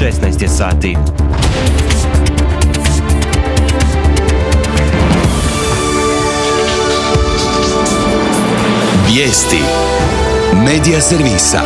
16 je sati. Vijesti Medija servisa.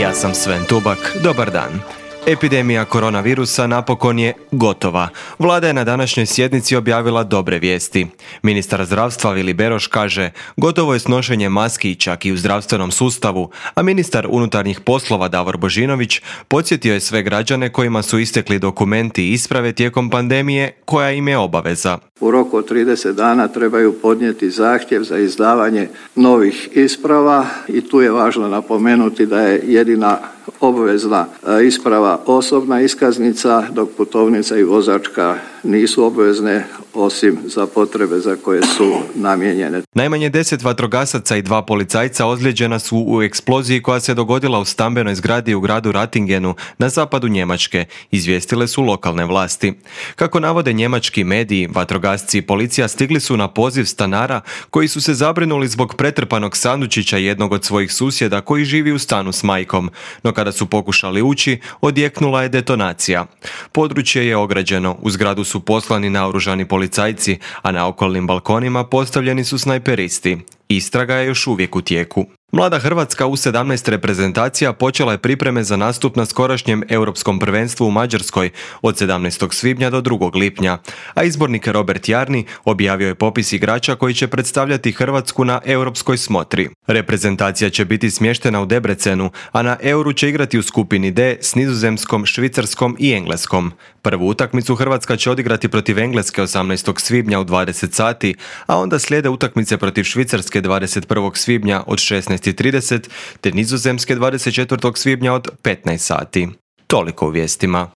Ja sam Sven Tubak, dobar dan. Epidemija koronavirusa napokon je gotova. Vlada je na današnjoj sjednici objavila dobre vijesti. Ministar zdravstva Vili Beroš kaže gotovo je s nošenjem maski čak i u zdravstvenom sustavu, a ministar unutarnjih poslova Davor Božinović podsjetio je sve građane kojima su istekli dokumenti i isprave tijekom pandemije koja im je obaveza. U roku od 30 dana trebaju podnijeti zahtjev za izdavanje novih isprava i tu je važno napomenuti da je jedina obvezna isprava osobna iskaznica, dok putovnica i vozačka nisu obvezne osim za potrebe za koje su namijenjene. Najmanje 10 vatrogasaca i 2 policajca ozlijeđena su u eksploziji koja se dogodila u stambenoj zgradi u gradu Rattingenu na zapadu Njemačke, izvijestile su lokalne vlasti. Kako navode njemački mediji, vatrogasci i policija stigli su na poziv stanara koji su se zabrinuli zbog pretrpanog sandučića jednog od svojih susjeda koji živi u stanu s majkom, no kada su pokušali ući, odjeknula je detonacija. Područje je ograđeno, u zgradu su poslani naoružani policajci, a na okolnim balkonima postavljeni su snajperisti. Istraga je još uvijek u tijeku. Mlada Hrvatska u 17 reprezentacija počela je pripreme za nastup na skorašnjem europskom prvenstvu u Mađarskoj od 17. svibnja do 2. lipnja, a izbornik Robert Jarni objavio je popis igrača koji će predstavljati Hrvatsku na europskoj smotri. Reprezentacija će biti smještena u Debrecenu, a na Euru će igrati u skupini D s Nizozemskom, Švicarskom i Engleskom. Prvu utakmicu Hrvatska će odigrati protiv Engleske 18. svibnja u 20 sati, a onda slijede utakmice protiv Švicarske 21. svibnja od 16:30 te Nizozemske 24. svibnja od 15 sati. Toliko u vijestima.